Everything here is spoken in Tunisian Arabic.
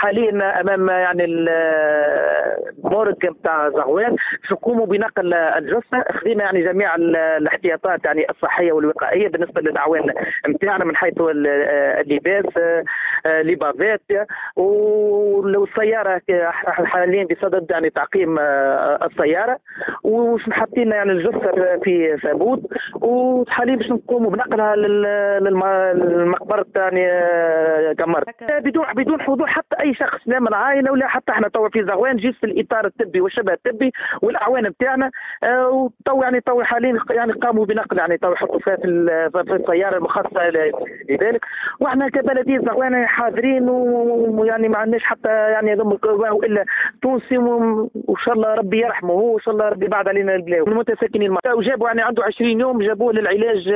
حاليا امام يعني ال morgue نتاع زغوان، باش نقوموا بنقل الجثة. خذينا يعني جميع الاحتياطات يعني الصحية والوقائيه بالنسبة للاعوان نتاعنا من حيث اللباس، les bavettes والسياره. حاليا بصدد يعني تعقيم السياره، وحاطين يعني الجثة في تابوت، وحاليا باش نقوموا بنقلها للمقبره يعني قمرت بدون حضور حتى اي شخص، لا من العائلة ولا حتى احنا. توا في زغوان juste الاطار الطبي والشبه الطبي والاعوان نتاعنا، وتو يعني تو حاليا يعني قاموا بنقل، يعني تو يحطوا فيها في السيارة المخصصة لذلك. واحنا كبلديه زغوان حاضرين، ويعني ما عندناش حتى يعني الا تونسي، وان شاء الله ربي يرحمه، وان شاء الله ربي بعد علينا البلاء. المتساكنين وجابوا يعني عنده 20 يوم جابوه للعلاج.